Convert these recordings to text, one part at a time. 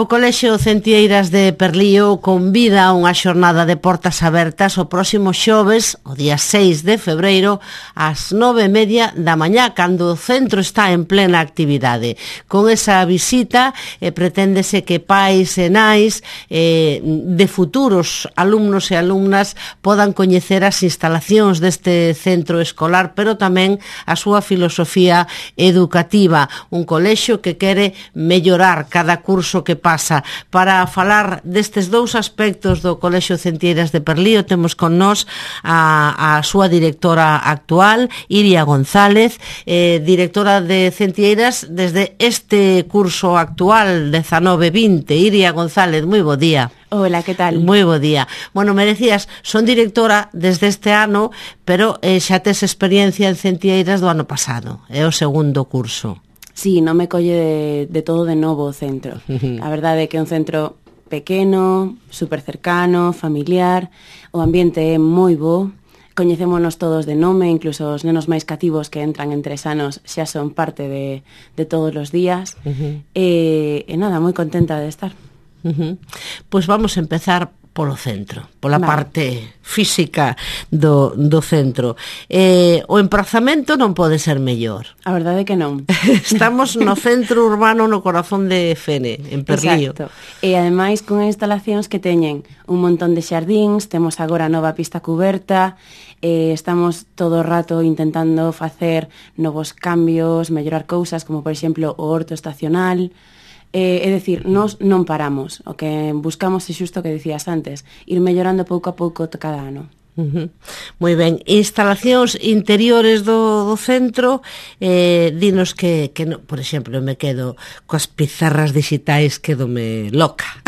O Colexio Centeiras de Perlío convida a unha xornada de portas abertas o próximo xoves, o día 6 de febreiro, ás 9:30 da mañá, cando o centro está en plena actividade. Con esa visita preténdese que pais e nais de futuros alumnos e alumnas podan coñecer as instalacións deste centro escolar, pero tamén a súa filosofía educativa. Un colexio que quere mellorar cada curso que pasa. Para falar destes dous aspectos do Colexio Centeiras de Perlío temos con nós a súa directora actual, Iria González, directora de Centeiras desde este curso actual 19-20. Iria González, moi bo día. Hola, que tal? Moi bo día. Bueno, me decías, son directora desde este ano, pero xa tes experiencia en Centeiras do ano pasado, é o segundo curso. Sí, non me colle de todo de novo o centro. A verdade é que é un centro pequeno, super cercano, familiar, o ambiente é moi bo, coñecémonos todos de nome, incluso os nenos máis cativos que entran en 3 anos xa son parte de todos os días, e nada, moi contenta de estar. Pois vamos a empezar polo centro, pola parte física do centro. O emprazamento non pode ser mellor. A verdade é que non. Estamos no centro urbano, no corazón de Fene, en Perlío. Exacto. E ademais con instalacións que teñen un montón de xardíns, temos agora a nova pista cuberta, estamos todo o rato intentando facer novos cambios, mellorar cousas, como por exemplo o horto estacional. É dicir, nós non paramos. O que buscamos é xusto o que dicías antes, ir mellorando pouco a pouco cada ano. Moi ben, instalacións interiores do centro, dinos que no, por exemplo, me quedo coas pizarras digitais, quedome loca.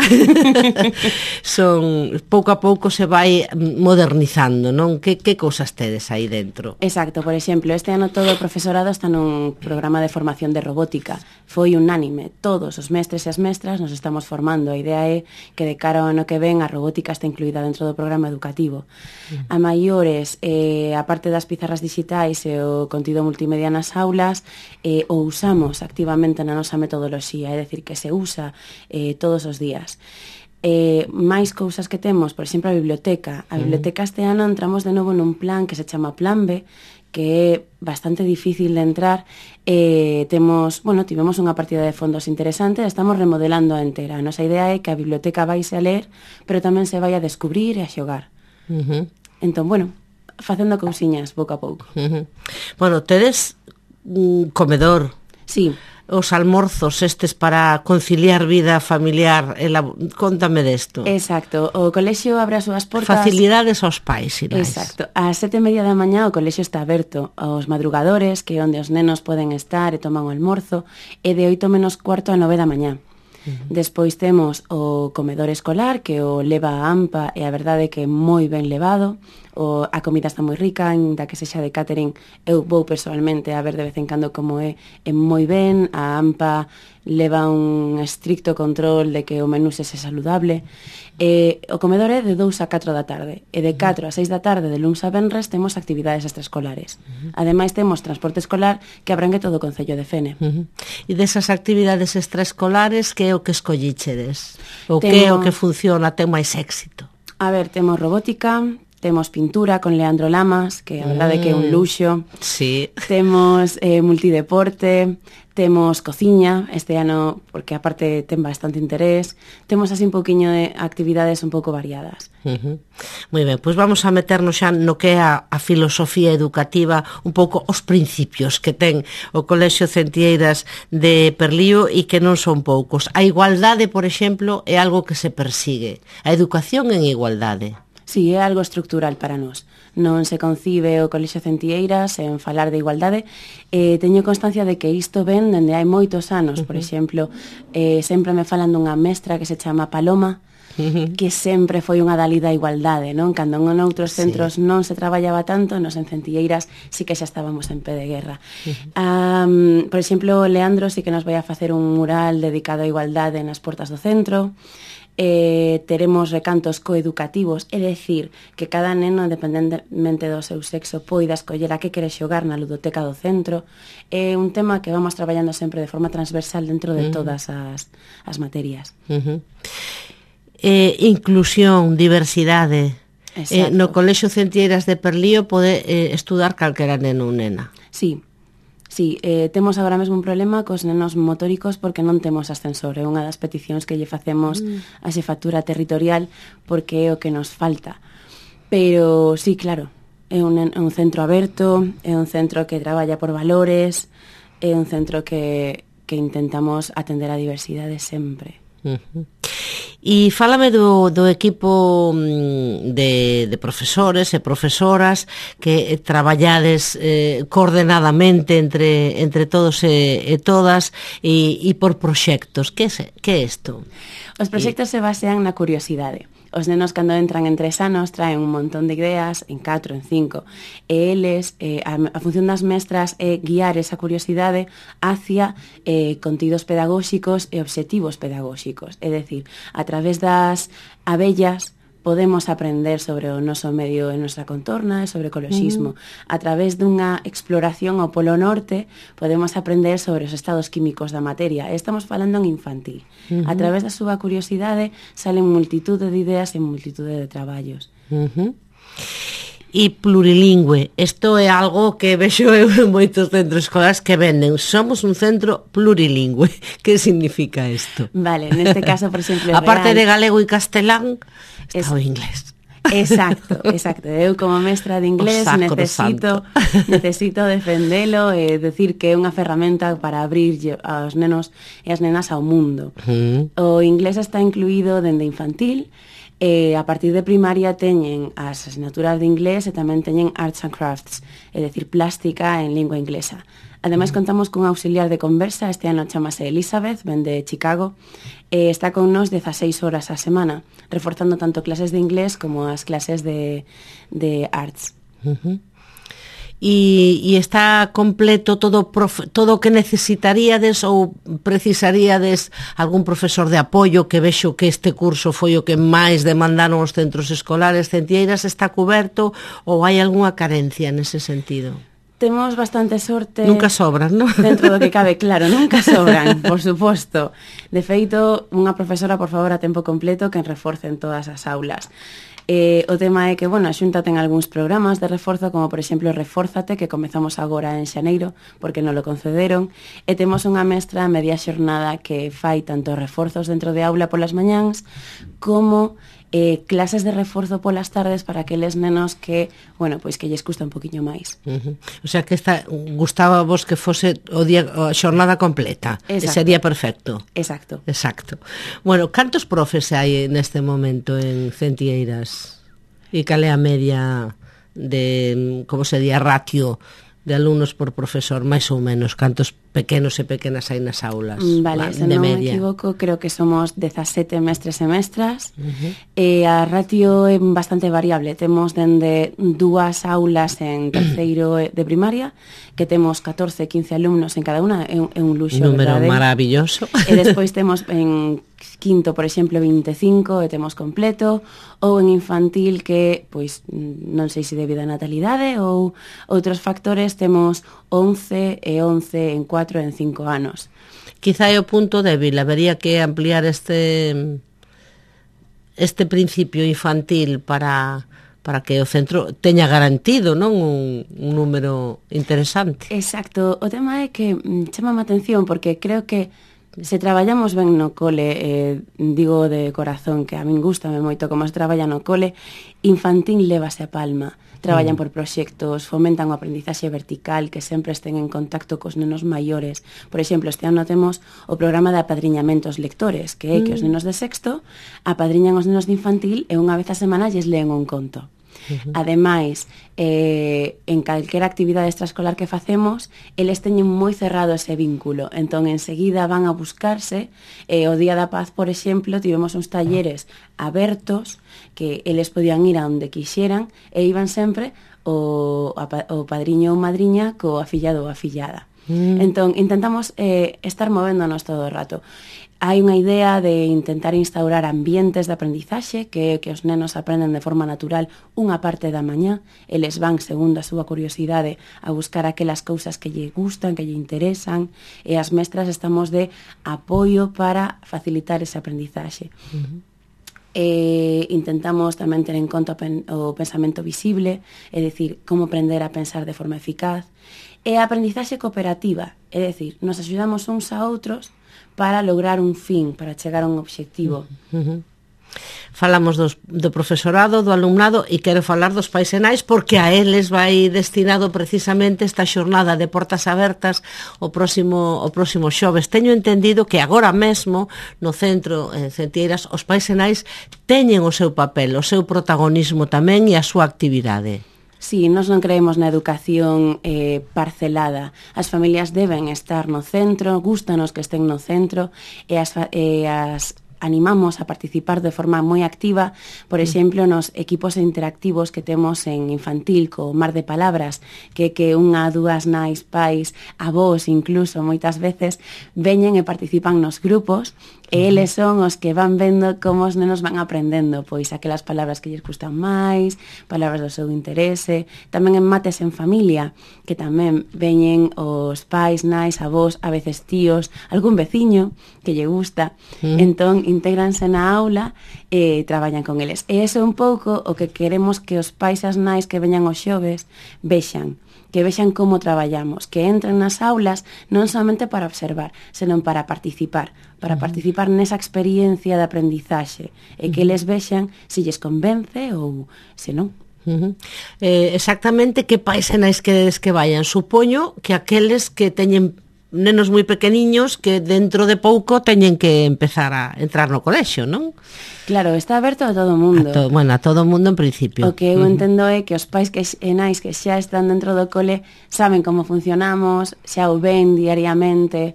Son, pouco a pouco se vai modernizando, non? Que cousas tedes aí dentro? Exacto, por exemplo, este ano todo o profesorado está nun programa de formación de robótica. Foi unánime, todos os mestres e as mestras nos estamos formando. A idea é que de cara ao ano que ven a robótica está incluída dentro do programa educativo. A maiores, a parte das pizarras digitais e o contido multimedia nas aulas, o usamos activamente na nosa metodoloxía, é dicir, que se usa todos os días. Máis cousas que temos, por exemplo, a biblioteca. A biblioteca este ano entramos de novo nun plan que se chama Plan B, que é bastante difícil de entrar. Tivemos unha partida de fondos interesante, estamos remodelando a entera. A nosa idea é que a biblioteca vaise a ler, pero tamén se vai a descubrir e a xogar. Entón, facendo cousiñas pouco a pouco. Bueno, tedes un comedor. Sí. Os almorzos estes para conciliar vida familiar, contame desto. Exacto, o colexio abre as súas portas. Facilidades aos pais, Inés. Exacto, ás 7:30 da mañá o colexio está aberto aos madrugadores, que é onde os nenos poden estar e toman o almorzo, e de 8:45 a 9 da mañá. Despois temos o comedor escolar, que o leva a AMPA, e a verdade é que é moi ben levado. A comida está moi rica, ainda que sexa de catering, eu vou personalmente a ver de vez en cando como é moi ben. A AMPA leva un estricto control de que o menú sexa saludable. O comedor é de 2 a 4 da tarde, e de 4 a 6 da tarde de luns a venres temos actividades extraescolares. Ademais temos transporte escolar que abrangue todo o concello de Fene. E desas actividades extraescolares, que é o que escollichedes? O que é o que funciona, ten máis éxito? A ver, temos robótica, temos pintura con Leandro Lamas, que a verdade é que é un luxo. Sí. Temos multideporte, temos cociña este ano, porque aparte ten bastante interés. Temos así un poquinho de actividades un pouco variadas. Moi ben, pois vamos a meternos xa no que é a filosofía educativa, un pouco os principios que ten o Colexio Centeiras de Perlío e que non son poucos. A igualdade, por exemplo, é algo que se persigue. A educación en igualdade. Sí, é algo estructural para nós. Non se concibe o Colexio Centeiras en falar de igualdade. Teño constancia de que isto ven dende hai moitos anos. Por exemplo, sempre me falan dunha mestra que se chama Paloma, que sempre foi unha dalida a igualdade, non? Cando en outros centros non se traballaba tanto, nos en Centeiras sí que xa estábamos en pé de guerra. Por exemplo, Leandro sí que nos vai a facer un mural dedicado á igualdade nas portas do centro. teremos recantos coeducativos, é dicir, que cada neno, independentemente do seu sexo, poida escoller a que quere xogar na ludoteca do centro. É un tema que vamos traballando sempre de forma transversal dentro de todas as materias. Inclusión, diversidade. No Colexio Centlleiras de Perlío pode estudar calquera neno ou nena. Sí. Sí, temos agora mesmo un problema cos nenos motóricos porque non temos ascensor. É unha das peticións que lle facemos á xefatura territorial porque é o que nos falta. Pero sí, claro, é un centro aberto, é un centro que traballa por valores, é un centro que intentamos atender a diversidade sempre. E fálame do equipo de profesores e profesoras que traballades coordenadamente entre todos e todas e por proxectos. Que é isto? Os proxectos se basean na curiosidade. Os nenos, cando entran en 3 anos, traen un montón de ideas, en 4, en 5, e eles, a función das mestras é guiar esa curiosidade hacia contidos pedagóxicos e obxectivos pedagóxicos. É dicir, a través das abellas podemos aprender sobre o noso medio e nosa contorna e sobre ecoloxismo. A través dunha exploración ao Polo Norte podemos aprender sobre os estados químicos da materia. Estamos falando en infantil. A través da súa curiosidade salen multitude de ideas e multitude de traballos. E plurilingüe. Isto é algo que vexo eu en moitos centros escolares que venden. Somos un centro plurilingüe. Que significa isto? Vale, neste caso, por exemplo, aparte de galego e castelán, está o inglés. Exacto. Eu como mestra de inglés necesito defendelo e decir que é unha ferramenta para abrir aos nenos e as nenas ao mundo. O inglés está incluído dende infantil. A partir de primaria teñen as asignaturas de inglés e tamén teñen arts and crafts, é dicir, plástica en lingua inglesa. Ademais, contamos cun auxiliar de conversa, este ano chamase Elizabeth, ven de Chicago, e está con nos 16 horas a semana, reforzando tanto clases de inglés como as clases de arts. E está completo todo o que necesitaríades ou precisaríades algún profesor de apoio, que vexo que este curso foi o que máis demandaron os centros escolares centlleiras, está coberto ou hai algunha carencia nese sentido? Temos bastante sorte. Nunca sobran, non? Dentro do que cabe, claro, nunca sobran, por suposto. De feito, unha profesora, por favor, a tempo completo que reforce en todas as aulas. O tema é que, a Xunta ten algúns programas de reforzo, como por exemplo Refórzate, que comezamos agora en xaneiro, porque non lo concederon, e temos unha mestra a media xornada que fai tanto reforzos dentro de aula polas mañáns, como clases de reforzo polas tardes para aqueles nenos que, pois que lles custa un poquinho máis. O sea que gustaba vos que fose a xornada completa. Sería perfecto. Exacto. Bueno, cantos profes hai neste momento en Centlleiras? E cal é a media de, como se di, ratio de alumnos por profesor, máis ou menos? Cantos pequenos e pequenas hai nas aulas? Vale, se non me equivoco, creo que somos 17 mestres e mestras. E a ratio é bastante variable. Temos dende 2 aulas en terceiro de primaria, que temos 14, 15 alumnos en cada unha, é un luxo, número verdade? Maravilloso. E despois temos en quinto, por exemplo, 25 e temos completo, ou en infantil que, pois, non sei se debido a natalidade ou outros factores, temos 11 e 11 en 4 e en 5 anos. Quizá é o punto débil, habería que ampliar este principio infantil para que o centro teña garantido, non, un número interesante. Exacto, o tema é que chama a atención porque creo que se traballamos ben no cole, digo de corazón que a min gustame moito como se traballa no cole, infantil lévase a palma. Traballan por proxectos, fomentan o aprendizaxe vertical, que sempre estén en contacto cos nenos maiores. Por exemplo, este ano temos o programa de apadriñamentos lectores, que é que os nenos de sexto apadriñan os nenos de infantil e unha vez a semana lles leen un conto. Ademais, en calquera actividade extraescolar que facemos, eles teñen moi cerrado ese vínculo, entón enseguida van a buscarse. O Día da Paz, por exemplo, tivemos uns talleres abertos que eles podían ir a onde quixeran e iban sempre o padriño ou madriña co afillado ou afillada. Entón, intentamos estar movéndonos todo o rato. Hai unha idea de intentar instaurar ambientes de aprendizaxe que os nenos aprenden de forma natural unha parte da mañá, eles van, segundo a súa curiosidade, a buscar aquelas cousas que lle gustan, que lle interesan, e as mestras estamos de apoio para facilitar ese aprendizaxe. Intentamos tamén ter en conta o pensamento visible, é dicir, como aprender a pensar de forma eficaz, e a aprendizaxe cooperativa, é dicir, nos axudamos uns a outros para lograr un fin, para chegar a un obxectivo. Falamos do profesorado, do alumnado, e quero falar dos pais e nais, porque a eles vai destinado precisamente esta xornada de portas abertas o próximo xoves. Teño entendido que agora mesmo no centro Centeiras os pais e nais teñen o seu papel, o seu protagonismo tamén e a súa actividade. Sí, nós non creemos na educación parcelada. As familias deben estar no centro, gústanos que estén no centro, e as animamos a participar de forma moi activa, por exemplo, nos equipos interactivos que temos en infantil, co Mar de Palabras, que unha, dúas nais, pais, avós, incluso, moitas veces, veñen e participan nos grupos, e eles son os que van vendo como os nenos van aprendendo, pois aquelas palabras que lles gustan máis, palabras do seu interese, tamén en mates en familia, que tamén veñen os pais, nais, avós, a veces tíos, algún veciño que lle gusta, entón intégranse na aula e traballan con eles. E iso é un pouco o que queremos que os pais e as nais que veñan os xoves vexan, que vexan como traballamos, que entren nas aulas non somente para observar, senón para participar nesa experiencia de aprendizaxe, e que eles vexan se lles convence ou se non. Exactamente que pais e nais queredes que vayan? Supoño que aqueles que teñen nenos moi pequeniños que dentro de pouco teñen que empezar a entrar no colexio, non? Claro, está aberto a todo o mundo. A todo o mundo en principio. O que eu entendo é que os pais e nais que xa están dentro do cole saben como funcionamos, xa o ven diariamente,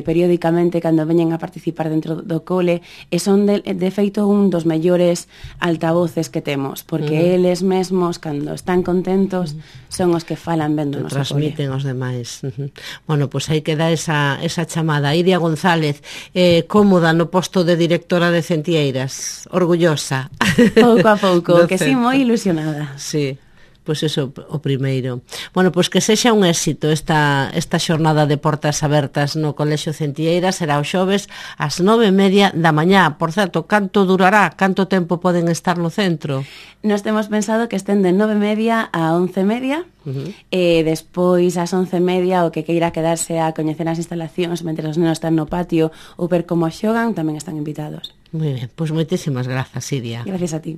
periódicamente cando veñen a participar dentro do cole, e son de feito un dos mellores altavoces que temos, porque eles mesmos, cando están contentos, son os que falan vendo no cole. Transmiten aos demais. Bueno, pois aí queda esa chamada. Iria González, cómoda no posto de directora de Centeiras, orgullosa. Pouco a pouco, que sí, moi ilusionada. Sí, pois iso o primeiro. Bueno, pois que sexa un éxito esta xornada de portas abertas no Colexio Centeiras, será o xoves ás 9:30 da mañá. Por certo, canto durará? Canto tempo poden estar no centro? Nós temos pensado que estén de 9:30 a 11:30, e despois ás 11:30 o que queira quedarse a coñecer as instalacións mentre os nenos están no patio ou ver como xogan, tamén están invitados. Moi ben, pois moitísimas grazas, Iria. Gracias a ti.